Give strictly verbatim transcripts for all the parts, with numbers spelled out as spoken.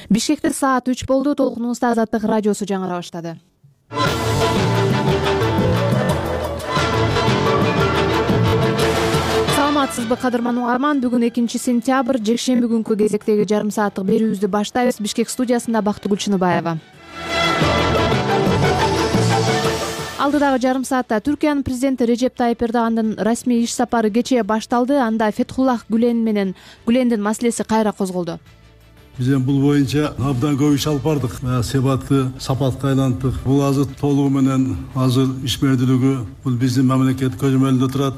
Бишкекте саат үч болду. Толкунубузда Азаттык радиосу жаңыра баштады. Саламатсызбы кадырман угарман? Бүгүн экинчи сентябрь, жекшемби күнкү кезектеги жарым сааттык берүүбүздү баштайбыз. Бишкек студиясында Бактыгүл Чыныбаева. Алдыдагы жарым саатта Түркиянын президенти Режеп Тайып Эрдогандын расмий иш сапары кечээ башталды. Анда Фетхуллах Гүлен менен Гүлендин маселеси кайра козголду. Биз эми бул боюнча абдан көп иш алып бардык. Себатты сапатка айлантык. Бул азыр толугу менен азыр ишмердүүлүгү бул биздин мамлекет көзөмөлүндө турат.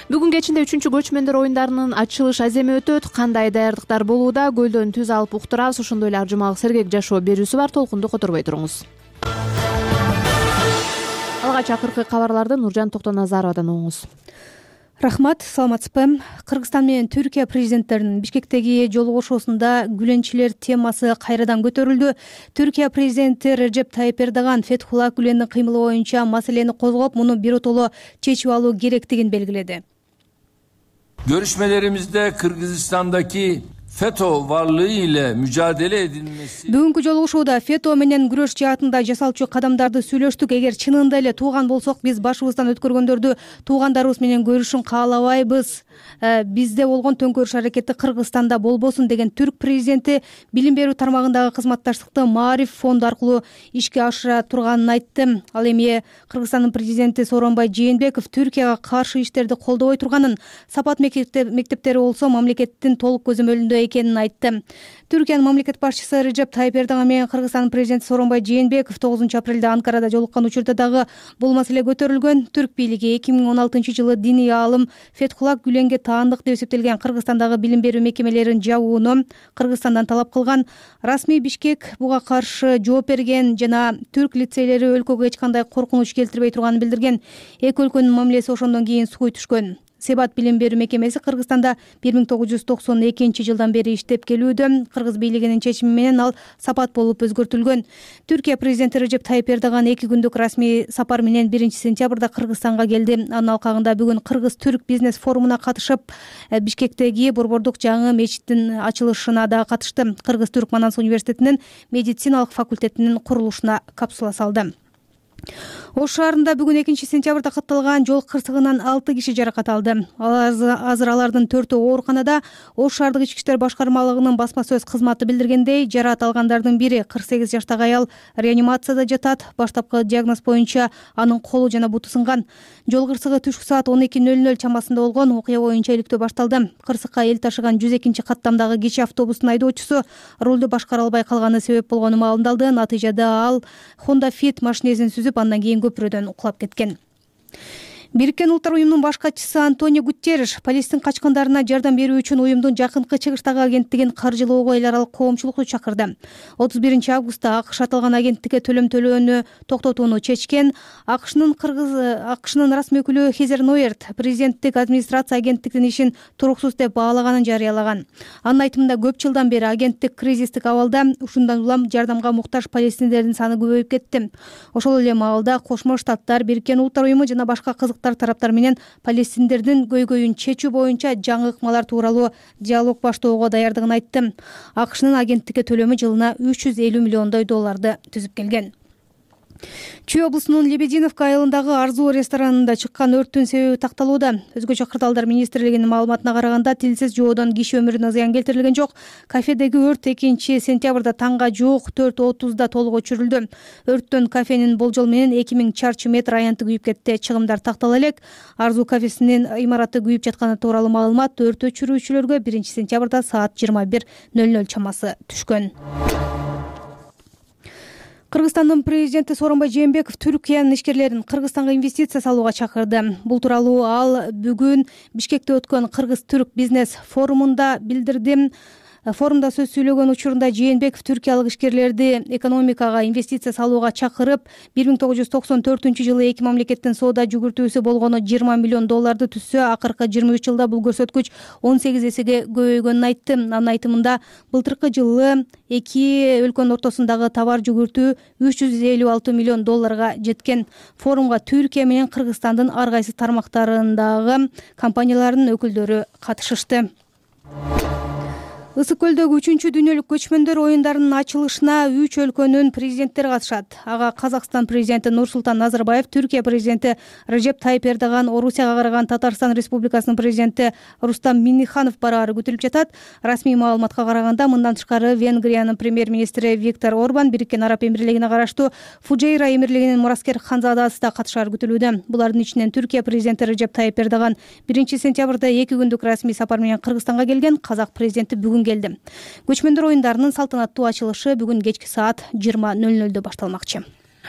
Бүгүн кечинде үчүнчү көчмөндөр оюндарынын ачылыш аземи өтөт. Кандай даярдыктар болууда? Көлдөн түз алып уктурабыз. Ошондой эле ар жумалык сергек жашоо берүүсү бар. Толкунду которбой туруңуз. Алгач акыркы кабарларды Нуржан Токтоназаровадан угуңуз. Рахмат, саламатсызбы? Кыргызстан менен Түркия президенттеринин Бишкектеги жолугушуусунда Гүленчилер темасы кайрадан көтөрүлдү. Түркия президенти Режеп Тайып Эрдоган Фетхуллах Гүлендин кыймылы боюнча маселени козгоп, муну биротоло чечип алуу керектигин белгиледи. Görüşmelerimizde Kırgızistan'daki FETÖ varlığı ile mücadele edilmesi. Бүгүнкү жолугушууда фето менен күрөш жаатында жасалчу кадамдарды сүйлөштүк. Эгер чынында эле тууган болсок, биз башыбыздан өткөргөндөрдү туугандарыбыз менен көрүшүн каалабайбыз. Бизде болгон төңкөрүш аракети Кыргызстанда болбосун деген түрк президенти билим берүү тармагындагы кызматташтыкты Маариф фонду аркылуу ишке ашыра турганын айтты. Ал эми Кыргызстандын президенти Сооронбай Жээнбеков Түркияга каршы иштерди колдобой турганын, сапат мектептери болсо мамлекеттин толук көзөмөлүндө экенин айтты. Түркиянын мамлекет башчысы Режеп Тайып Эрдоган менен Кыргызстандын президенти Сооронбай Жээнбеков тогузунчу апрелде Анкарада жолуккан учурда дагы бул маселе көтөрүлгөн. Түрк бийлиги эки миң он алтынчы жылы диний аалым Фетхуллах Гүленге таандык деп эсептелген Кыргызстандагы билим берүү мекемелерин жабууну Кыргызстандан талап кылган. Расмий Бишкек буга каршы жооп берген жана түрк лицейлери өлкөгө эч кандай коркунуч келтирбей турганын билдирген. Эки өлкөнүн мамилеси ошондон кийин сууй түшкөн. Себат билим берүү мекемеси Кыргызстанда бир миң тогуз жүз токсон экинчи жылдан бери иштеп келүүдө. Кыргыз бийлигинин чечими менен ал сапат болуп өзгөртүлгөн. Түркия президенти Режеп Тайып Эрдоган эки күндүк расмий сапар менен биринчи сентябрда Кыргызстанга келди. Анын алкагында бүгүн Кыргыз-Түрк бизнес форумуна катышып, Бишкектеги Борбордук жаңы мечиттин ачылышына да катышты. Кыргыз-Түрк Манас университетинин медициналык факультетинин курулушуна капсула салды. Ош шаарында бүгүн экинчи сентябрда катталган жол кырсыгынан алты киши жаракат алды. Азыр алардын төртөө ооруканада. Ош шаардык ички иштер башкармалыгынын басма сөз кызматы билдиргендей, жаракат алгандардын бири кырк сегиз жаштагы аял реанимацияда жатат. Баштапкы диагноз боюнча анын колу жана буту сынган. Жол кырсыгы түшкү саат он эки нөл нөл чамасында болгон. Окуя боюнча иликтөө башталды. Кырсыкка эл ташыган жүз экинчи каттамдагы кичи автобустун айдоочусу рулду башкара албай калганы себеп болгону маалымдалды. Натыйжада ал Honda Fit машинесин сүзүп, андан кийин көпүрөдөн кулап кеткен. Бириккен Улуттар уюмунун баш катчысы Антонио Гутерриш Палестин качкандарына жардам берүү үчүн уюмдун жакынкы чыгыштагы агенттигин каржылоого эл аралык коомчулукту чакырды. отуз биринчи августта АКШ аталган агенттикке төлөм төлөөнү токтотууну чечкен. АКШнын Кыргыз АКШнын расмий өкүлү Хезер Нойерт президенттик администрация агенттиктин ишин туруксуз деп баалаганын жарыялаган. Анын айтымында көп жылдан бери агенттик кризистик абалда, ушундан улам жардамга муктаж палестиндердин саны көбөйүп кетти. Ошол эле маалда Кошмо Штаттар, Бириккен Улуттар уюму жана башка кызык тараптар менен палестиндердин көйгөйүн чечүү боюнча жаңы ыкмалар тууралуу диалог баштоого даярдыгын айтты. АКШнын агенттикке төлөмү жылына үч жүз элүү миллиондой долларды түзүп келген. Чүй облусунун Лебединовка айылындагы Арзуу ресторанында чыккан өрттүн себеби такталууда. Өзгөчө кырдаалдар министрлигинин маалыматына караганда, тилсиз жоодон киши өмүрүнө зыян келтирилген жок. Кафедеги өрт экинчи сентябрда таңга жуук төрт отузда толук өчүрүлдү. Өрттөн кафенин болжол менен эки миң чарчы метр аянты күйүп кетти. Чыгымдар тактала элек. Арзуу кафесинин имараты күйүп жатканы тууралуу маалымат өрт өчүрүүчүлөргө биринчи сентябрда саат жыйырма бир нөл нөл чамасы түшкөн. Кыргызстандын президенти Сооронбай Жээнбеков Түркиянын ишкерлерин Кыргызстанга инвестиция салууга чакырды. Бул тууралуу ал бүгүн Бишкекте өткөн Кыргыз-Түрк бизнес форумунда билдирди. Форумда сөз сүйлөгөн учурунда Жээнбеков түркиялык ишкерлерди экономикага инвестиция салууга чакырып, бир миң тогуз жүз токсон төртүнчү жылы эки мамлекеттин соода жүгүртүүсү болгону жыйырма миллион долларды түзсө, акыркы жыйырма үч жылда бул көрсөткүч он сегиз эсеге көбөйгөнүн айтты. Анын айтымында былтыркы жылы эки өлкөнүн ортосундагы товар жүгүртүү үч жүз элүү алты миллион долларга жеткен. Форумга Түркия менен Кыргызстандын ар кайсы тармактарындагы компаниялардын өкүлдөрү катышышты. Ысык көлдөгү үчүнчү дүйнөлүк көчмөндөр оюндарынын ачылышына үч өлкөнүн президенттери катышат. Ага Казакстан президенти Нурсултан Назарбаев, Түркия президенти Режеп Тайип Эрдоган, Орусияга караган Татарстан Республикасынын президенти Рустам Минниханов бараары күтүлүп жатат. Расмий маалыматка караганда, мындан тышкары Венгриянын премьер-министри Виктор Орбан, Бириккен Араб Эмирлигине караштуу Фуджейра эмирлигинин мураскер ханзадасы да катышары күтүлүүдө. Булардын ичинен Түркия президенти Режеп Тайип Эрдоган биринчи сентябрда эки күндүк расмий сапар менен Кыргызстанга келген. Казак президенти бүгүн келди. Көчмөндөр оюндарынын салтанаттуу ачылышы бүгүн кечки саат жыйырма нөл нөлдө башталмакчы.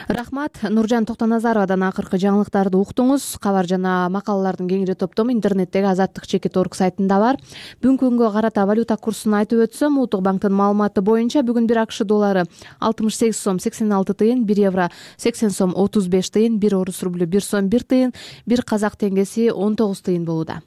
Рахмат. Нуржан Токтоназаровадан акыркы жаңылыктарды уктуңуз. Кабар жана макалалардын кеңири топтому интернеттеги азаттык чекит точка орг сайтында бар. Бүгүнкү күнгө карата валюта курсун айтып өтсөм, Улуттук банктын маалыматы боюнча бүгүн бир АКШ доллары алтымыш сегиз сом сексен алты тыйын, бир евро сексен сом отуз беш тыйын, бир орус рублю бир сом бир тыйын, бир казак теңгеси он тогуз тыйын болууда.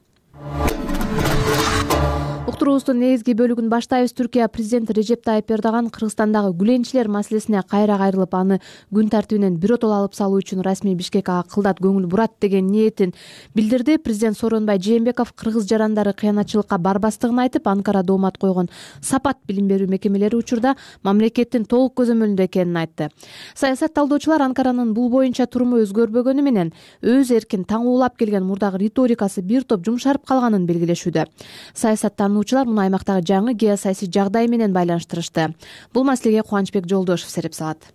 Уктуруубуздун негизги бөлүгүн баштайбыз. Түркия президенти Режеп Тайип Эрдоган Кыргызстандагы гүленчилер маселесине кайра кайрылып, аны күн тартибинен биротоло алып салуу үчүн расмий Бишкекке кылдат көңүл бурат деген ниетин билдирди. Президент Сооронбай Жээнбеков кыргыз жарандары кыянатчылыкка барбастыгын айтып, Анкара доомат койгон Сапат билим берүү мекемелери учурда мамлекеттин толук көзөмөлүндө экенин айтты. Саясат талдоочулар Анкаранын бул боюнча туруму өзгөрбөгөнү менен өз эркин таңуулап келген мурдагы риторикасы бир топ жумшарып калганын белгилешүүдө. Саясаттануучулар муну аймактагы жаңы геосаясий жагдай менен байланыштырышты. Бул маселеге Кубанычбек Жолдошев сереп салат.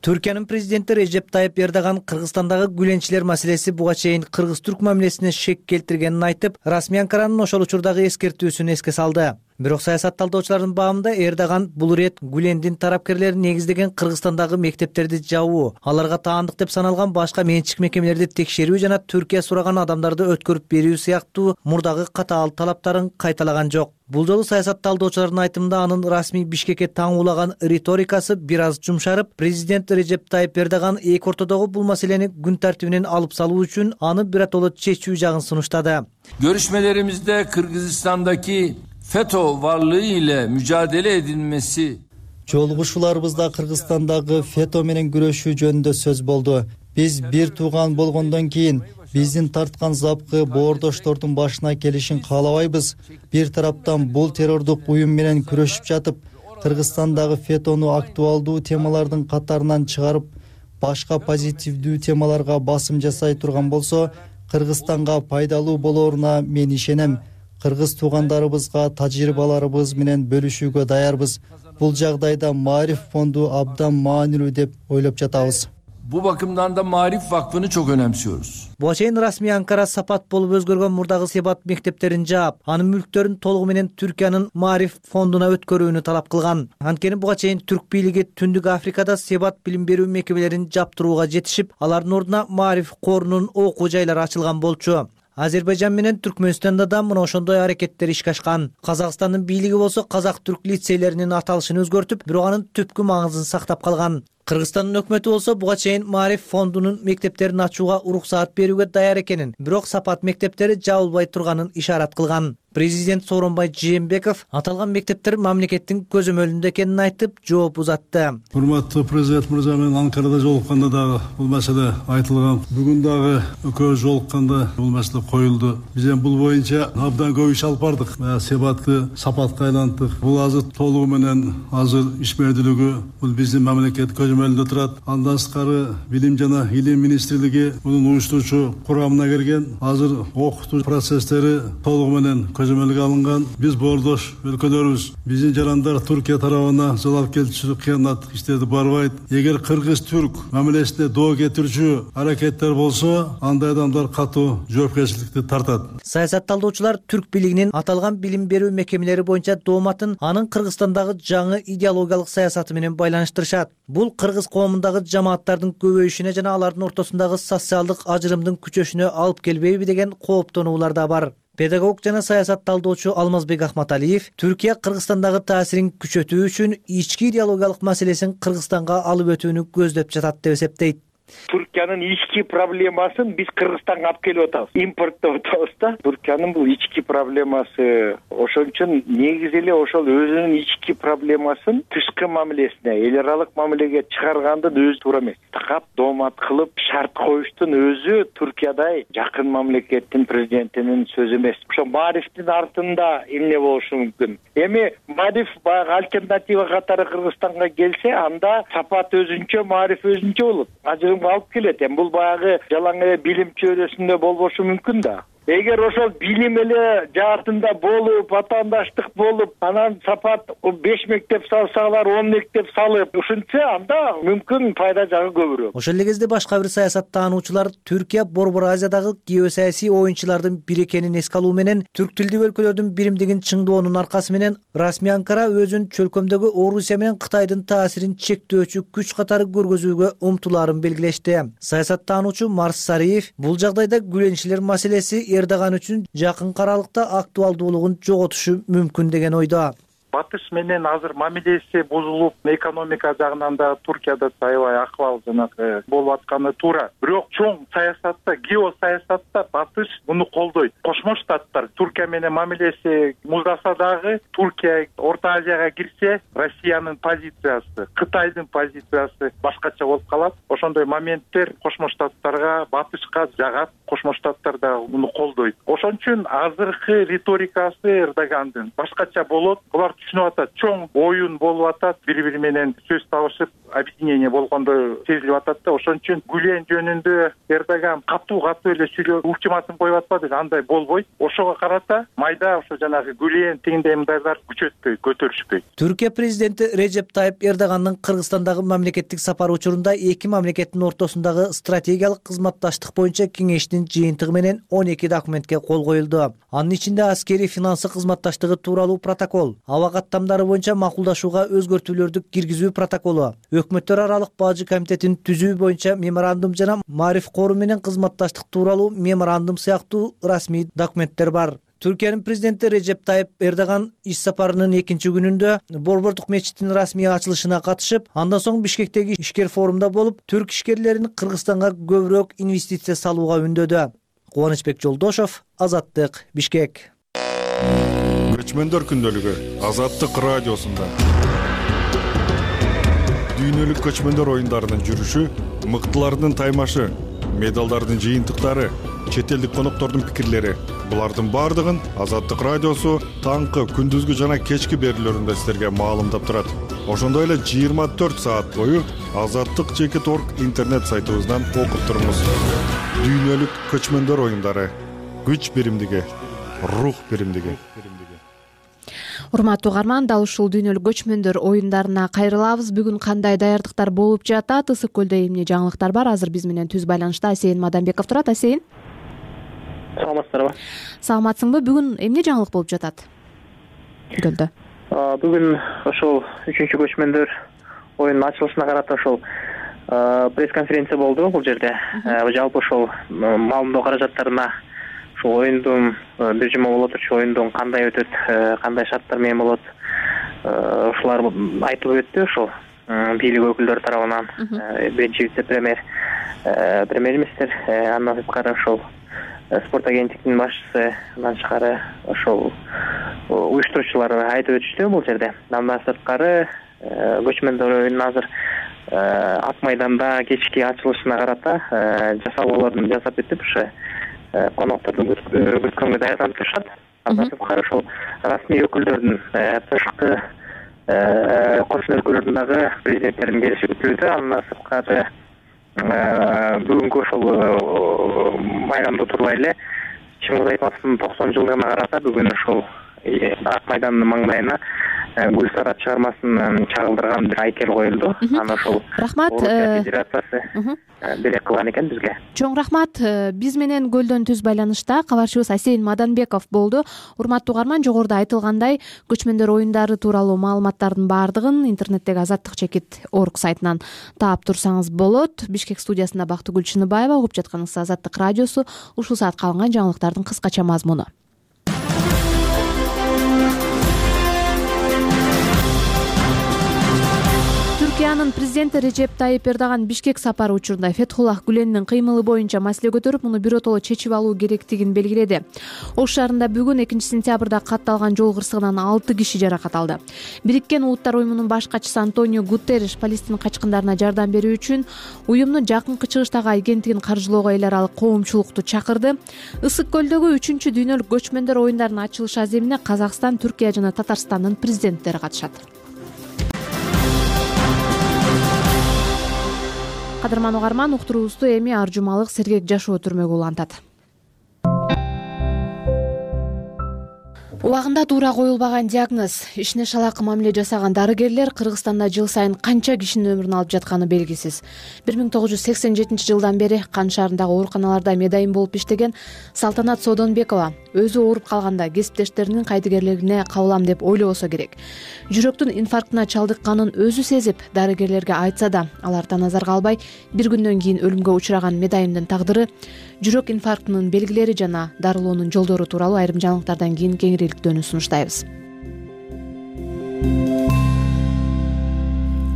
Түркиянын президенти Режеп Тайип Эрдоган Кыргызстандагы гүленчилер маселеси буга чейин кыргыз-түрк мамилесине шек келтиргенин айтып, расмий Анкаранын ошол учурдагы эскертүүсүн эске салды. Бирок саясат талдоочулардын баамында Эрдоган бул ирет Гүлендин тарапкерлери негиздеген Кыргызстандагы мектептерди жабуу, аларга таандык деп саналган башка менчик мекемелерди текшерүү жана Түркия сураган адамдарды өткөрүп берүү сыяктуу мурдагы катаал талаптарын кайталаган жок. Бул жолу саясат талдоочулардын айтымында анын расмий Бишкекке таңуулаган риторикасы бир аз жумшарып, президент Режеп Тайип Эрдоган эки ортодогу бул маселени күн тартибинен алып салуу үчүн аны биротоло чечүү жагын сунуштады. Görüşmelerimizde Kırgızistan'daki FETÖ varlığı ile mücadele edilmesi. Жолугушууларыбызда Кыргызстандагы фето менен күрөшүү жөнүндө сөз болду. Биз бир тууган болгондон кийин биздин тарткан запкы боордоштордун башына келишин каалабайбыз. Бир тараптан бул террордук уюм менен күрөшүп жатып, Кыргызстандагы фетону актуалдуу темалардын катарынан чыгарып, башка позитивдүү темаларга басым жасай турган болсо, Кыргызстанга пайдалуу болоруна мен ишенем. Кыргыз туугандарыбызга тажрыйбаларыбыз менен бөлүшүүгө даярбыз. Бул жагдайда Маариф фонду абдан маанилүү деп ойлоп жатабыз. Bu bakımdan da Maarif Vakfı'nı çok önemsiyoruz. Буга чейин расмий Анкара Сапат болуп өзгөргөн мурдагы Себат мектептерин жаап, анын мүлктөрүн толугу менен Түркиянын Маариф фондуна өткөрүүнү талап кылган. Анткени буга чейин түрк бийлиги Түндүк Африкада Себат билим берүү мекемелерин жаптырууга жетишип, алардын ордуна Маариф корунун окуу жайлары ачылган болчу. Азербайжан менен Түркмөнстанда да мына ошондой аракеттер ишке ашкан. Казакстандын бийлиги болсо казак-түрк лицейлеринин аталышын өзгөртүп, бирок анын түпкү маңызын сактап калган. Кыргызстандын өкмөтү болсо буга чейин Маариф фондунун мектептерин ачууга уруксаат берүүгө даяр экенин, бирок Сапат мектептери жабылбай турганын ишарат кылган. Президент Сооронбай Жээнбеков аталган мектептер мамлекеттин көзөмөлүндө экенин айтып, жооп узатты. Урматтуу президент мырза менен Анкарада жолукканда дагы бул маселе айтылган. Бүгүн дагы экөөбүз жолукканда бул маселе коюлду. Биз эми бул боюнча абдан көп иш алып бардык. Себатты Сапатка айлантык. Бул азыр толугу менен азыр ишмердүүлүгү бул биздин мамлекет көзөмөлүндө турат. Андан сырткары билим жана илим министрлиги мунун уюштуруучу курамына кирген. Азыр окутуу процесстери толугу менен көзөмөлгө алынган. Биз боордош өлкөлөрүбүз, биздин жарандар Түркия тарабына залалкелчүлүк, кыянат иштерди барбайт. Эгер кыргыз-түрк мамилесине доо кетирүүчү аракеттер болсо, андай адамдар катуу жоопкерчиликти тартат. Саясат талдоочулар түрк бийлигинин аталган билим берүү мекемелери боюнча дооматын анын Кыргызстандагы жаңы идеологиялык саясаты менен байланыштырышат. Бул кыргыз коомундагы жамааттардын көбөйүшүнө жана алардын ортосундагы социалдык ажырымдын күчөшүнө алып келбейби деген кооптонуулар да бар. Педагог жана саясат талдоочу Алмазбек Ахматалиев Түркия Кыргызстандагы таасирин күчөтүү үчүн ички идеологиялык маселесин Кыргызстанга алып өтүүнү көздөп жатат деп эсептейт. Туркиянын ички проблемасын биз Кыргызстанга алып келип атабыз, импорттоп атабыз да. Туркиянын бул ички проблемасы, ошон үчүн негизи эле ошол өзүнүн ички проблемасын тышкы мамилесине, эл аралык мамилеге чыгаргандын өзү туура эмес. Такап доомат кылып шарт коюштун өзү Туркиядай жакын мамлекеттин президентинин сөзү эмес. Ошо Марифтин артында эмне болушу мүмкүн? Эми Мариф баягы альтернатива катары Кыргызстанга келсе, анда Сапат өзүнчө, Мариф өзүнчө болот. Ажырымга алып келет. Эми бул баягы жалаң эле билим чөйрөсүндө болбошу мүмкүн да. Эгер ошол билим эле жаатында болуп, атаандаштык болуп, анан Сапат беш мектеп салсалар, он мектеп салып ушинтсе, анда мүмкүн пайда жагы көбүрөөк. Ошол эле кезде башка бир саясаттануучулар Түркия Борбор Азиядагы геосаясий оюнчулардын бири экенин эске алуу менен түрк тилдүү өлкөлөрдүн биримдигин чыңдоонун аркасы менен расмий Анкара өзүн чөлкөмдөгү Орусия менен Кытайдын таасирин чектөөчү күч катары көргөзүүгө умтулаарын белгилешти. Саясаттануучу Марс Сариев бул жагдайда гүленчилер маселеси Эрдоган үчүн жакын аралыкта актуалдуулугун жоготушу мүмкүн деген ойдо. Батыш менен азыр мамилеси бузулуп, экономика жагынан да Туркияда аябай акыбал жанагы болуп атканы туура. Бирок чоң саясатта, геосаясатта Батыш муну колдойт. Кошмо Штаттар Туркия менен мамилеси муздаса дагы, Туркия Орто Азияга кирсе, Россиянын позициясы, Кытайдын позициясы башкача болуп калат. Ошондой моменттер Кошмо Штаттарга, Батышка жагат. Кошмо Штаттар да муну колдойт. Ошон үчүн азыркы риторикасы Эрдогандын башкача болот. Булар түшүнүп атат, чоң оюн болуп атат, бири-бири менен сөз табышып, объединение болгондой сезилип атат да. Ошон үчүн Гүлен жөнүндө Эрдоган катуу-катуу эле сүйлөп, ультиматум коюп атпады, андай болбойт. Ошого карата майда ошо жанагы Гүлен тегиндей мындайлар күчөтпөйт, көтөрүшпөйт. Түркия президенти Режеп Тайып Эрдогандын Кыргызстандагы мамлекеттик сапары учурунда эки мамлекеттин ортосундагы стратегиялык кызматташтык боюнча кеңештин жыйынтыгы менен он эки документке кол коюлду. Анын ичинде аскери финансы кызматташтыгы тууралуу протокол, аба каттамдары боюнча макулдашууга өзгөртүүлөрдү киргизүү протоколу, өкмөттөр аралык бажы комитетин түзүү боюнча меморандум жана Мариф кору менен кызматташтык тууралуу меморандум сыяктуу расмий документтер бар. Түркиянын президенти Режеп Тайып Эрдоган иш сапарынын экинчи күнүндө Борбордук мечиттин расмий ачылышына катышып, андан соң Бишкектеги ишкер форумда болуп, түрк ишкерлерин Кыргызстанга көбүрөөк инвестиция салууга үндөдү. Кубанычбек Жолдошов, Азаттык, Бишкек. Көчмөндөр күндөлүгү Азаттык радиосунда. Дүйнөлүк көчмөндөр оюндарынын жүрүшү, мыктылардын таймашы, медалдардын жыйынтыктары, чет элдик коноктордун пикирлери. Булардын бардыгын Азаттык радиосу таңкы, күндүзгү жана кечки берүүлөрүндө силерге маалымдап турат. Ошондой эле жыйырма төрт саат бою азаттык чекит точка орг интернет сайтыбыздан окуп туруңуз. Дүйнөлүк көчмөндөр оюндары, күч биримдиги, рух биримдиги. Урматтуу угарман, дал ушул дүйнөлүк көчмөндөр оюндарына кайрылабыз. Бүгүн кандай даярдыктар болуп жатат? Ысык көлдө эмне жаңылыктар бар? Азыр биз менен түз байланышта Асейин Маданбеков турат. Асейин, саламатсыздарбы? Саламатсыңбы? Бүгүн эмне жаңылык болуп жатат көлдө? Бүгүн ошол үчүнчү көчмөндөр оюнунун ачылышына карата ошол пресс-конференция болду бул жерде. Жалпы ошол маалымдоо каражаттарына ушул оюндун бир жума боло турчу оюндун кандай өтөт, кандай шарттар менен болот, ушулар айтылып өттү ошол бийлик өкүлдөрү тарабынан. Биринчи вице-премьер, премьер-министр, андан сырткары ошол спорт агенттигинин башчысы, андан тышкары ошол уюштуруучулар айтып өтүштү бул жерде. Андан сырткары көчмөндөр оюнун азыр Ак майданда кечки ачылышына карата жасалууларын жасап өтүп, ошо коноктордун күткөнгө даярданып турушат. Андан сырткары ошол расмий өкүлдөрдүн тышкы кошмо өлкөлөрдүн дагы президенттеринин келиши күтүлүүдө. Андан сырткары бүгүнкү ошол майрамда турбай эле Чыңгыз Айтматовдун токсон жылдыгына карата бүгүн ошол Ак майдандын маңдайына гүл сарат чыгармасын чагылдырган бир айкел коюлду. Аны ошол рахмат федерациясы берек кылган экен бизге. Чоң рахмат. Биз менен көлдөн түз байланышта кабарчыбыз Асейин Маданбеков болду. Урматтуу угарман, жогоруда айтылгандай, көчмөндөр оюндары тууралуу маалыматтардын баардыгын интернеттеги азаттык чекит точка орг сайтынан таап турсаңыз болот. Бишкек студиясында Бактыгүл Чыныбаева, угуп жатканыңыз Азаттык радиосу. Ушул саатка алынган жаңылыктардын кыскача мазмуну. Түркиянын президенти Режеп Тайип Эрдоган Бишкек сапары учурунда Фетхуллах Гүлендин кыймылы боюнча маселе көтөрүп, муну биротоло чечип алуу керектигин белгиледи. Ош шаарында бүгүн экинчи сентябрда катталган жол кырсыгынан алты киши жаракат алды. Бириккен Улуттар уюмунун баш катчысы Антонио Гутерриш Палестин качкындарына жардам берүү үчүн уюмдун жакынкы чыгыштагы агенттигин каржылоого эл аралык коомчулукту чакырды. Ысык көлдөгү үчүнчү дүйнөлүк көчмөндөр оюндарынын ачылыш аземине Казакстан, Түркия жана Татарстандын президенттери катышат. Кадырман угарман, уктуруубузду эми Аржумалык Сергек Жашоо түрмөгү улантат. Убагында туура коюлбаган диагноз, ишине шалаак мамиле жасаган дарыгерлер Кыргызстанда жыл сайын канча кишинин өмүрүн алып жатканы белгисиз. бир миң тогуз жүз сексен жетинчи жылдан бери Кан шаарындагы ооруканаларда медайым болуп иштеген Салтанат Содонбекова өзү ооруп калганда кесиптештеринин кайдыгерлигине кабылам деп ойлобосо керек. Жүрөктүн инфарктына чалдыкканын өзү сезип, дарыгерлерге айтса да, алар назарга албай, бир күндөн кийин өлүмгө учураган медайымдын тагдыры, жүрөк инфарктынын белгилери жана дарылоонун жолдору тууралуу айрым жаңылыктардан кийин кеңириктөөнү сунуштайбыз.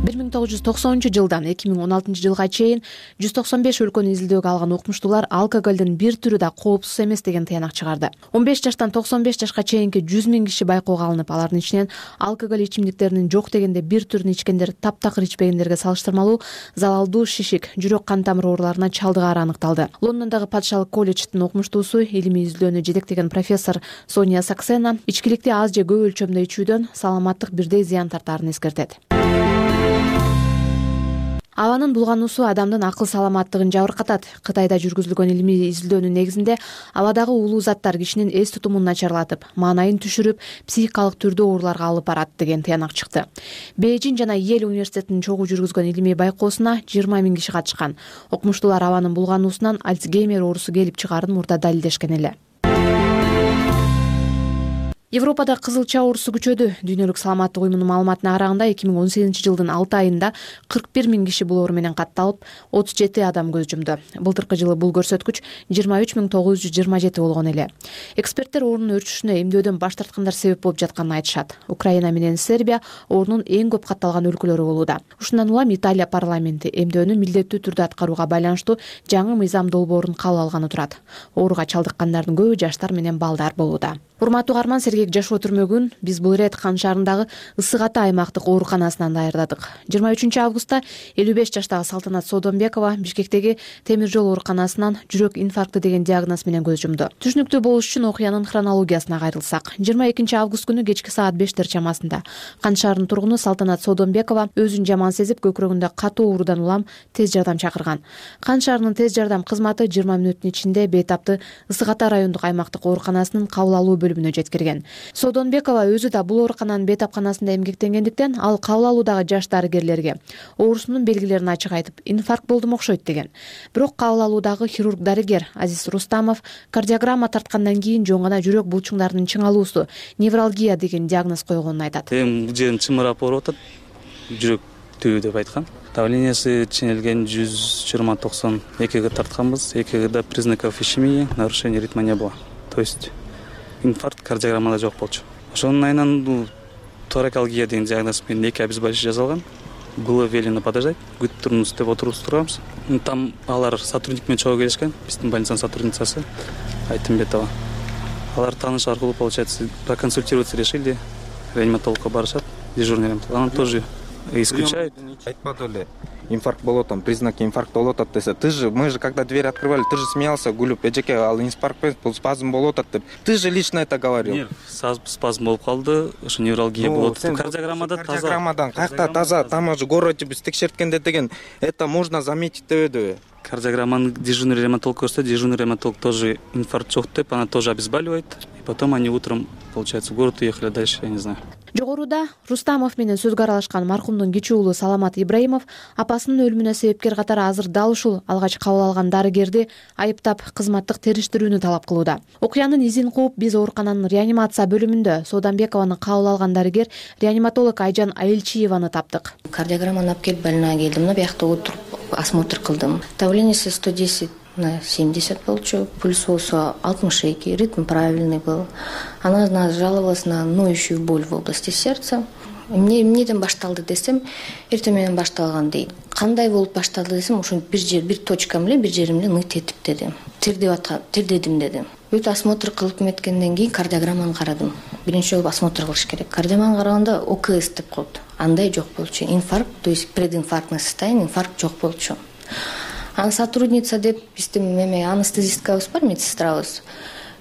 бир миң тогуз жүз токсонунчу жылдан эки миң он алтынчы жылга чейин жүз токсон беш өлкөнү изилдөөгө алган окумуштуулар алкоголдун бир түрү да коопсуз эмес деген тыянак чыгарды. он беш жаштан токсон беш жашка чейинки жүз миң киши байкоого алынып, алардын ичинен алкоголь ичимдиктеринин жок дегенде бир түрүн ичкендер таптакыр ичпегендерге салыштырмалуу залалдуу шишик, жүрөк кан тамыр ооруларына чалдыгаары аныкталды. Лондондогу Патшалык колледждин окумуштуусу, илимий изилдөөнү жетектеген профессор Соня Саксена ичкиликти аз же көп өлчөмдө ичүүдөн саламаттык бирдей зыян тартаарын эскертет. Абанын булгануусу адамдын акыл саламаттыгын жабыркатат. Кытайда жүргүзүлгөн илимий изилдөөнүн негизинде абадагы уулуу заттар кишинин эс тутумун начарлатып, маанайын түшүрүп, психикалык түрдүү ооруларга алып барат деген тыянак чыкты. Бейжин жана Йель университетинин чогуу жүргүзгөн илимий байкоосуна жыйырма миң киши катышкан. Окумуштуулар абанын булгануусунан Альцгеймер оорусу келип чыгаарын мурда далилдешкен эле. Европада кызылча оорусу күчөдү. Дүйнөлүк саламаттык уюмунун маалыматына караганда эки миң он сегизинчи жылдын алты айында кырк бир миң киши бул оору менен катталып, отуз жети адам көз жумду. Былтыркы жылы бул көрсөткүч жыйырма үч миң тогуз жүз жыйырма жети болгон эле. Эксперттер оорунун өрчүшүнө эмдөөдөн баш тарткандар себеп болуп жатканын айтышат. Украина менен Сербия оорунун эң көп катталган өлкөлөрү болууда. Ушундан улам Италия парламенти эмдөөнү милдеттүү түрдө аткарууга байланыштуу жаңы мыйзам долбоорун кабыл алганы турат. Ооруга чалдыккандардын көбү жаштар менен балдар болууда. Урматтуу угарман, Сергек Жашоо түрмөгүн биз бул ирет Кан шаарындагы Ысык Ата аймактык ооруканасынан даярдадык. жыйырма үчүнчү августта элүү беш жаштагы Салтанат Содонбекова Бишкектеги темир жол ооруканасынан жүрөк инфаркты деген диагноз менен көз жумду. Түшүнүктүү болуш үчүн окуянын хронологиясына кайрылсак, жыйырма экинчи август күнү кечки саат бештер чамасында Кан шаарынын тургуну Салтанат Содонбекова өзүн жаман сезип, көкүрөгүндө катуу оорудан улам тез жардам чакырган. Кан шаарынын тез жардам кызматы жыйырма мүнөттүн ичинде Бейтапты Ысык Ата райондук аймактык ооруканасынын кабыл алуу бөлүмүнө жеткирген. Содонбекова өзү да бул оорукананын Бейтапканасында эмгектенгендиктен ал кабыл алуудагы жаш дарыгерлерге оорусунун белгилерин ачык айтып, инфаркт болдум окшойт деген. Бирок кабыл алуудагы хирург дарыгер Азиз Рустамов кардиограмма тарткандан кийин жоң гана жүрөк булчуңдарынын чыңалуусу, невралгия деген диагноз койгонун айтат. Эми жерим чымырап ооруп атат, жүрөктүү деп айткан. Давлениясы ченелген жүз жыйырма токсон экиге тартканбыз. Экигде признаков ишемии, нарушение ритма не было. То есть инфаркт кардиограммада жок болчу. Ошонун айынан бул торакалгия деген диагноз менен эки обезболивающий жазылган. Было велено подождать, күтүп туруңуз деп отуруп турганбыз. Там алар сотрудник менен чогуу келишкен, биздин больницанын сотрудницасы Айтымбетова. Алар тааныш аркылуу, получается, проконсультироваться решили, реаниматологко барышат, дежурный реаниматолог. Она тоже исключает. Айтпады эле. Инфаркт болот, там признаки инфаркта болот атат десе. Ты же, мы же когда дверь открывали, ты же смеялся, гулюп, эжеке, ал инфаркт, спазм болот атат деп. Ты же лично это говорил. Нет, спазм болуп калды, ошо невралгия болот. Кардиограммада таза. Кардиограммадан кайякта таза, там уже город биз текшерткенде деген, это можно заметить дебеди. Кардиограмманы дежурный реаниматолог көрсөтүп, дежурный реаниматолог тоже инфаркт жок деп, она тоже обезболивает. И потом они утром, получается, в город уехали дальше, я не знаю. Жогоруда Рустамов менен сөзгө аралашкан маркумдун кичи уулу Саламат Ибраимов апасынын өлүмүнө себепкер катары азыр дал ушул алгач кабыл алган дарыгерди айыптап кызматтык териштирүүнү талап кылууда. Окуянын изин кууп биз оорукананын реанимация бөлүмүндө Содонбекованы кабыл алган дарыгер реаниматолог Айжан Айылчиеваны таптык. Кардиограмманы алып келип больницага келдим, мына биякта отуруп осмотр кылдым. Давлениеси сто десять на семьдесят болчу, пульс болсо алтымыш эки, ритм правильный был. Она жаловалась на ноющую боль в области сердца. эмне эмнеден башталды десем, эртең менен башталган дейт. Кандай болуп башталды десем, ошо бир жер бир точка менен бир жерим менен ныйт этип деди. Тирдеп аткан, тирдедим деди. Бүт осмотр кылып меткенден кийин кардиограмманы карадым. Биринчи жолу осмотр кылыш керек. Кардиограмманы караганда ОКС деп коет. Андай жок болчу. Инфаркт, то есть прединфарктный состояние, инфаркт жок болчу. Анын сотрудница деп биздин эме анестезисткабыз бар, медсестрабыз.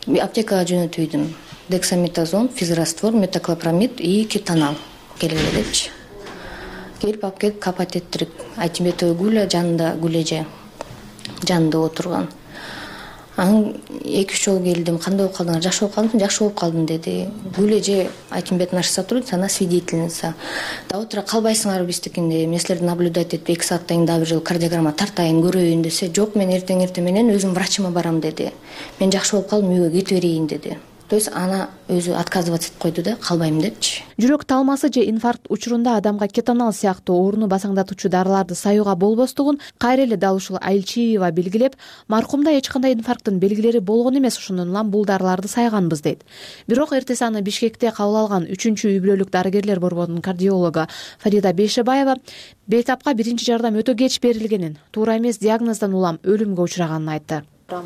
Аптекага жөнөтүйдүм. Дексаметазон, физраствор, метоклопрамид и кетонал келгиле депчи. Келип алып келип капать эттирик. Айтимбетова Гуля жанында, Гулеже жанында отурган. Анан эки үч жолу келдим. Кандай болуп калдың? Жакшы болуп калдым, жакшы болуп калдым деди. Гулеже Айтимбет наша сотрудница, она свидетельница. Да отура калбайсыңарбы биздикинде? Мен силерди наблюдать этип эки сааттан кийин дагы бир жолу кардиограмма тартайын, көрөйүн десе, жок, мен эртең эртең менен өзүм врачыма барам деди. Мен жакшы болуп калдым, үйгө кетип берейин деди. То есть ана өзү отказываться этип койду да, калбайм депчи. Жүрөк талмасы же инфаркт учурунда адамга кетонал сыяктуу ооруну басаңдатуучу дарыларды саюуга болбостугун кайра эле дал ушул Айылчиева белгилеп, маркумда эч кандай инфаркттын белгилери болгон эмес, ошондон улам бул дарыларды сайганбыз дейт. Бирок эртеси аны Бишкекте кабыл алган үчүнчү үй бүлөлүк дарыгерлер борборунун кардиологу Фарида Бейшебаева бейтапка биринчи жардам өтө кеч берилгенин, туура эмес диагноздан улам өлүмгө учураганын айтты.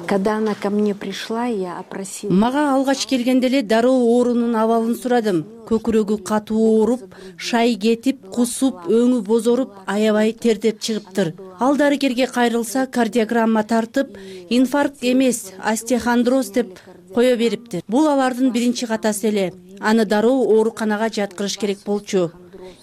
Когда она ко мне пришла, я опросила. Мага алгач келгенде эле дароо оорунун абалын сурадым. Көкүрөгү катуу ооруп, шай кетип, кусуп, өңү бозоруп, аябай тердеп чыгыптыр. Ал дарыгерге кайрылса, кардиограмма тартып, инфаркт эмес, остеохондроз деп кое бериптир. Бул алардын биринчи катасы эле. Аны дароо ооруканага жаткырыш керек болчу.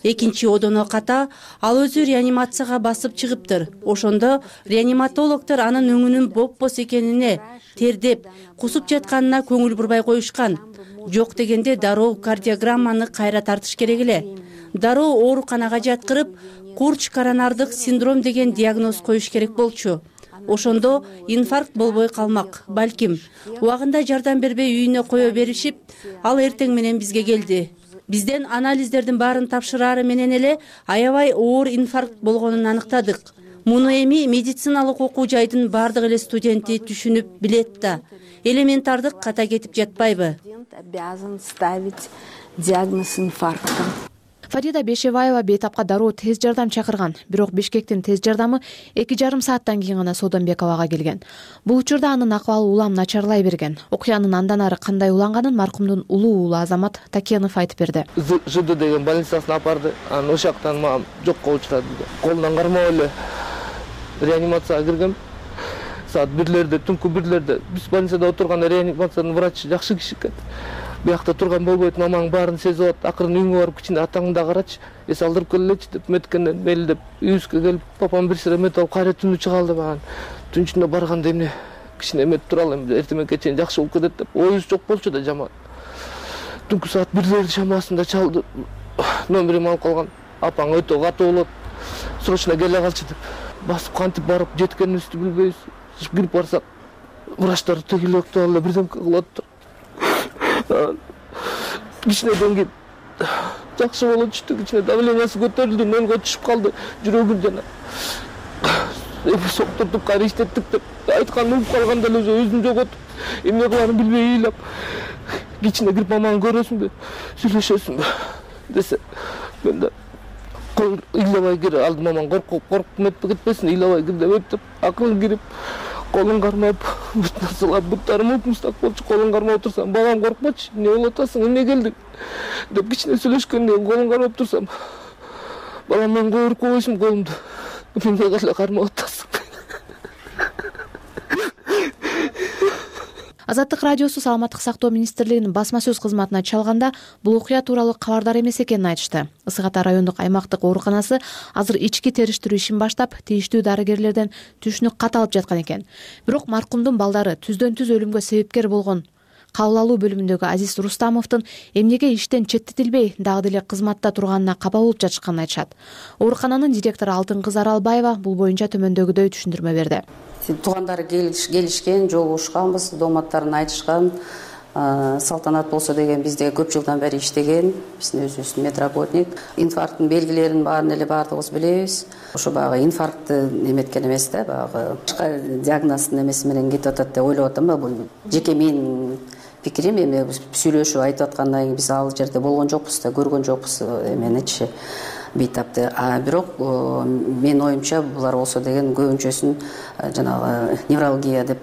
Экинчи одоно ката, ал өзү реанимацияга басып чыгыптыр. Ошондо реаниматологдор анын өңүнүн бопбос экенине, тердеп, кусуп жатканына көңүл бурбай коюшкан. Жок дегенде дароо кардиограмманы кайра тартыш керек эле. Дароо ооруканага жаткырып, курч коронардык синдром деген диагноз коюш керек болчу. Ошондо инфаркт болбой калмак. Балким, убагында жардам бербей үйүнө кое беришип, ал эртең менен бизге келди. Бизден анализдердин баарын тапшырары менен эле аябай оор инфаркт болгонун аныктадык. Муну эми медициналык окуу жайдын баардык эле студенти түшүнүп билет да. Элементардык ката кетип жатпайбы? Обязан ставить диагноз инфаркта. Фарида Бейшебаева бейтапка дароо тез жардам чакырган, бирок Бишкектин тез жардамы эки жарым сааттан кийин гана Сооронбековага келген. Бул учурда анын акыбалы улам начарлай берген. Окуянын андан ары кандай уланганын маркумдун улуу уулу Азамат Такенов айтып берди. ЖД деген больницасына апарды, анан ошол жактан мага жокко учурады. Колунан кармап эле реанимацияга киргем. Саат бирлерде, түнкү бирлерде биз больницада отурганда реанимациянын врачы жакшы киши экен. Биякта турган болбойт, мамаң баарын сезип атат. Акырын үйүңө барып кичине атаңды да карачы, эс алдырып келелечи деп меткенден мелдеп үйүбүзгө келип, папам бир сыра мет алып кайра түнү чыга алды маған. Түнчүндө барганда эмне кичине эметип туралы, эртең мененке чейин жакшы болуп кетет деп. Оюбуз жок болчу да жаман. Түнкү саат бирлерди шамасында чалды. Номерим алып калган. Апаң өтө катуу болот. Срочно келе калчы деп. Басып кантип барып жеткенибизди билбейбиз. Кирип барсак, врачтар тегилектеп алып бирдемке кылып атты. Кичинеден кийин жакшы боло түштү, кичине давлениясы көтөрүлдү, нөлгө түшүп калды, жүрөгүн жана соктуртуп кайра иштеттик деп айтканын угуп калганда эле өзүн жоготуп, эмне кыларын билбей ыйлап, кичине кирип мамаңы көрөсүңбү, сүйлөшөсүңбү десе, мен да ыйлабай кире алдым, мамаң коркуп коркуп кетпесин, ыйлабай кир деп өттүп, акырын кирип колун кармап, бүт нарселер буттарым упмустак болчу, колун кармап отурсам, балам коркпочу, эмне болуп атасың, эмне келдиң деп кичине сүйлөшкөндөн кийин колун кармап турсам, балам мен көбүрөк койсум колумду, эмне эле кармап атасың. Азаттык радиосу Саламаттык сактоо министрлигинин басма сөз кызматына чалганда бул окуя тууралуу кабардар эмес экенин айтышты. Ысык Ата райондук аймактык ооруканасы азыр ички териштирүү ишин баштап, тийиштүү дарыгерлерден түшүнүк кат алып жаткан экен. Бирок маркумдун балдары түздөн түз өлүмгө себепкер болгон кабыл алуу бөлүмүндөгү Азиз Рустамовдун эмнеге иштен четтетилбей дагы деле кызматта турганына капа болуп жатышканын айтышат. Оорукананын директору Алтын кыз Аралбаева бул боюнча төмөндөгүдөй түшүндүрмө берди. Туугандары келишкен, жолугушканбыз, дооматтарын айтышкан. Салтанат болсо деген бизде көп жылдан бери иштеген, биздин өзүбүздүн медработник. Инфаркттын белгилерин баарын эле баардыгыбыз билебиз. Ошо баягы инфарктты эметкен эмес да, баягы башка диагноздун эмеси менен кетип атат деп ойлоп атам. Бул жеке менин пикирим эми сүйлөшүп айтып аткандан кийин биз ал жерде болгон жокпуз да, көргөн жокпуз эменичи бейтапты. А бирок менин оюмча булар болсо деген көбүнчөсүн жанагы невралгия деп,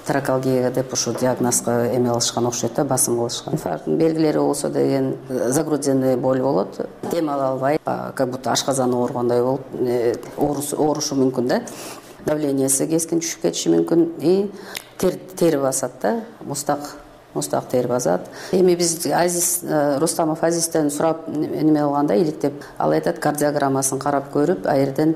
таракалгия деп ушу диагнозго эме кылышкан окшойт да, басым кылышкан. Инфаркттын белгилери болсо деген загрудзенный боль болот, дем ала албайт, как будто ашказан ооругандай болуп оорушу мүмкүн да. Давлениясы кескин түшүп кетиши мүмкүн, и тер тери басат да, мустак мустак тери басат. Эми биз Азиз Рустамов Азизден сурап неме кылганда иликтеп, ал айтат, кардиограммасын карап көрүп, а жерден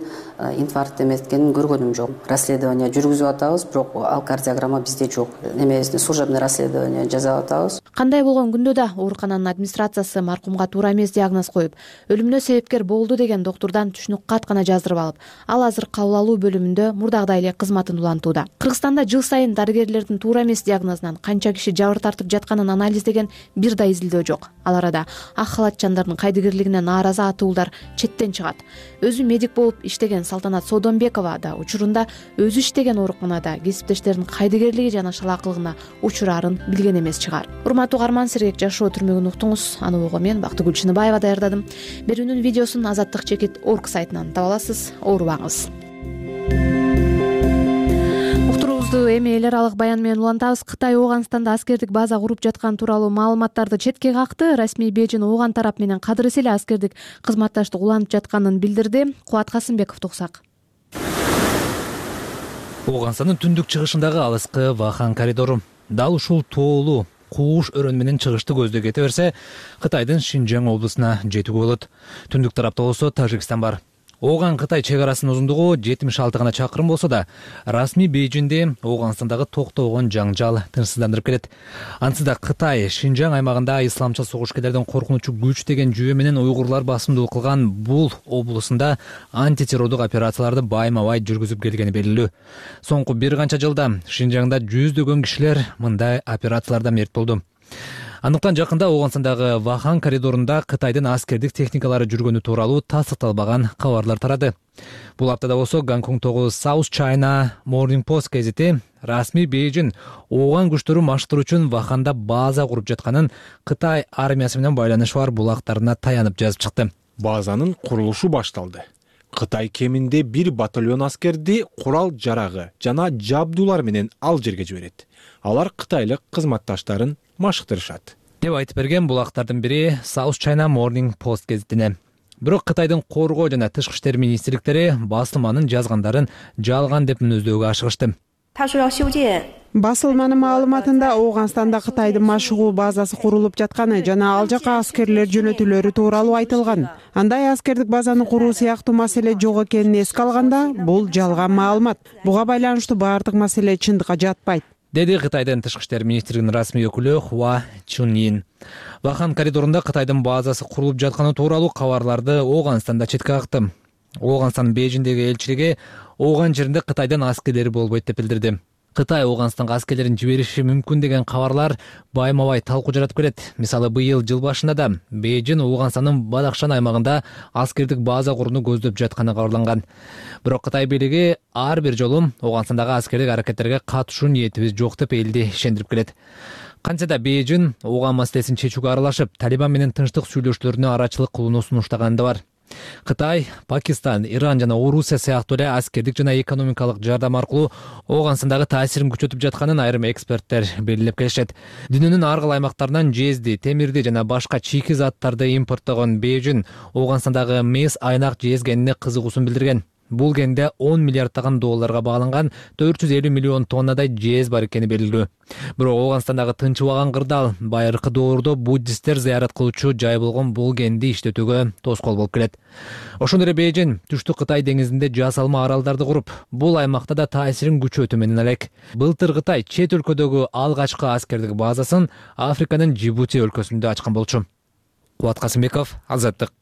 инфаркт эметкенин көргөнүм жок. Расследование жүргүзүп атабыз, бирок ал кардиограмма бизде жок. Немесин служебный расследование жасап атабыз. Кандай болгон күндө да оорукананын администрациясы маркумга туура эмес диагноз коюп, өлүмүнө себепкер болду деген доктурдан түшүнүк кат гана жаздырып алып, ал азыр кабыл алуу бөлүмүндө мурдагыдай эле кызматын улантууда. Кыргызстанда жыл сайын дарыгерлердин туура эмес диагнозунан канча киши жабыр тартып жатканын анализдеген бир да изилдөө жок. Ал арада ак халатчандардын кайдыгерлигине нааразы атуулар четтен чыгат. Өзү медик болуп иштеген Салтанат Содонбекова да учурунда өзү иштеген ооруканада кесиптештеринин кайдыгерлиги жана шалаакылыгына учурарын билген эмес чыгар. Урматтуу угарман, Сергек жашоо түрмөгүн уктуңуз. Аны угуу мен Бактыгүл Чыныбаева даярдадым. Берүүнүн видеосун Азаттык чекит орг сайтынан таба аласыз. Оорубаңыз. Эми эл аралык баян менен улантабыз. Кытай Ооганстанда аскердик база куруп жаткан тууралуу маалыматтарды четке какты. Расмий Бейжин Ооган тарап менен кадырыс эле аскердик кызматташтык уланып жатканын билдирди. Кубат Касымбеков туксак. Ооганстандын түндүк чыгышындагы алыскы Вахан коридору дал ушул тоолуу кууш өрөн менен чыгышты көздө кете берсе, Кытайдын Шинжаң облусуна жетүүгө болот. Түндүк тарапта болсо Тажикстан бар. Ооган Кытай чек арасынын узундугу жетимиш алты гана чакырым болсо да, расмий Бейжинде Ооганстандагы токтогон жаңжал тынчсыздандырып келет. Ансыз да Кытай Шинжаң аймагында исламчыл согушкерлердин коркунучу күч деген жүйө менен уйгурлар басымдуулук кылган бул облусунда антитеррордук операцияларды байма-бай жүргүзүп келгени белгилүү. Соңку бир канча жылда Шинжаңда жүздөгөн кишилер мындай операцияларда мерт болду. Андыктан жакында Ооганстандагы Вахан коридорунда Кытайдын аскердик техникалары жүргөнү тууралуу тастыкталбаган кабарлар тарады. Бул аптада болсо Гонконгдогу South China Morning Post гезити расмий Бейжин Ооган күчтөрү маштыруу үчүн Ваханда база куруп жатканын Кытай армиясы менен байланышы бар булактарына таянып жазып чыкты. Базанын курулушу башталды. Кытай кеминде бир батальон аскерди курал жарагы жана жабдуулар менен ал жерге жиберет. Алар кытайлык кызматташтарын машыктырышат деп айтып берген булактардын бири South China Morning Post гезитине. Бирок Кытайдын коргоо жана тышкы иштер министрликтери басылманын жазгандарын жалган деп мүнөздөөгө ашыгышты. Басылманын маалыматында Ооганстанда Кытайдын машыгуу базасы курулуп жатканы жана ал жака аскерлер жөнөтүлөрү тууралуу айтылган. Андай аскердик базаны куруу сыяктуу маселе жок экенин эске алганда, бул жалган маалымат. Буга байланыштуу баардык маселе чындыкка жатпайт, деди Кытайдын тышкы иштер министрлигинин расмий өкүлү Хуа Чуньин. Вахан коридорунда Кытайдын базасы курулуп жатканы тууралуу кабарларды Ооганстанда четке какты. Ооганстандын Бейжиндеги элчилиги Ооган жеринде Кытайдын аскерлери болбойт деп билдирди. Кытай Ооганстанга аскерлерин жибериши мүмкүн деген кабарлар байма-бай талкуу жаратып келет. Мисалы, быйыл жыл башында да Бейжин Ооганстандын Бадахшан аймагында аскердик база курууну көздөп жатканы кабарланган. Бирок Кытай бийлиги ар бир жолу Ооганстандагы аскердик аракеттерге катышуу ниетибиз жок деп элди ишендирип келет. Кантсе да Бейжин Ооган маселесин чечүүгө аралашып, Талибан менен тынчтык сүйлөшүүлөрүнө арачылык кылууну сунуштаганы да бар. Кытай, Пакистан, Иран жана Орусия сыяктуу эле аскердик жана экономикалык жардам аркылуу Ооганстандагы таасирин күчөтүп жатканын айрым эксперттер белгилеп келишет. Дүйнөнүн ар кыл аймактарынан жезди, темирди жана башка чийки заттарды импорттогон Бейжин Ооганстандагы мес айнак жезгенине кызыгуусун билдирген. Бул генде он миллиарддаган долларга бааланган төрт жүз элүү миллион тоннадай жез бар экени белгилүү. Бирок Ооганстандагы тынчыбаган кырдаал байыркы доордо буддисттер зыярат кылуучу жай болгон бул генди иштетүүгө тоскоол болуп келет. Ошондой эле Бейжин түштүк Кытай деңизинде жасалма аралдарды куруп, бул аймакта да таасирин күчөтүү менен элек. Былтыр Кытай чет өлкөдөгү алгачкы аскердик базасын Африканын Джибути өлкөсүндө ачкан болчу. Кубат Касымбеков, Азаттык.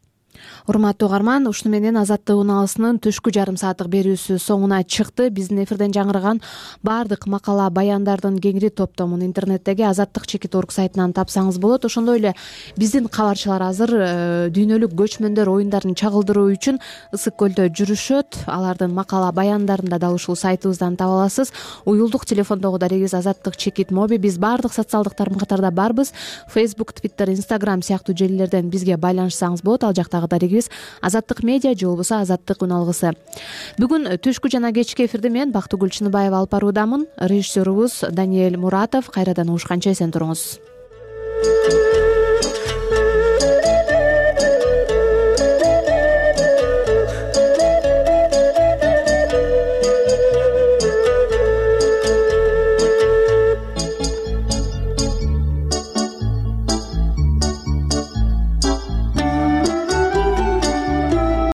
урматтуу угарман, ушуну менен Азаттык унаалысынын түшкү жарым сааттык берүүсү соңуна чыкты. Биздин эфирден жаңыраган баардык макала баяндардын кеңири топтомун интернеттеги азаттык чекит точка орг сайтынан тапсаңыз болот. Ошондой эле биздин кабарчылар азыр дүйнөлүк көчмөндөр оюндарын чагылдыруу үчүн Ысык көлдө жүрүшөт. Алардын макала баяндарын да дал ушул сайтыбыздан таба аласыз. Уюлдук телефондогу дарегибиз азаттык чекит моби. Биз баардык социалдык тармактарда барбыз. Facebook, Twitter, Instagram сыяктуу желилерден бизге байланышсаңыз болот. Ал жактагы дарегибиз Азаттык медиа же болбосо Азаттык уналгысы. Бүгүн түшкү жана кечки эфирди мен Бактыгүл Чыныбаева алып баруудамын. Режиссерубуз Даниэль Муратов. Кайрадан угушканча эсен туруңуз.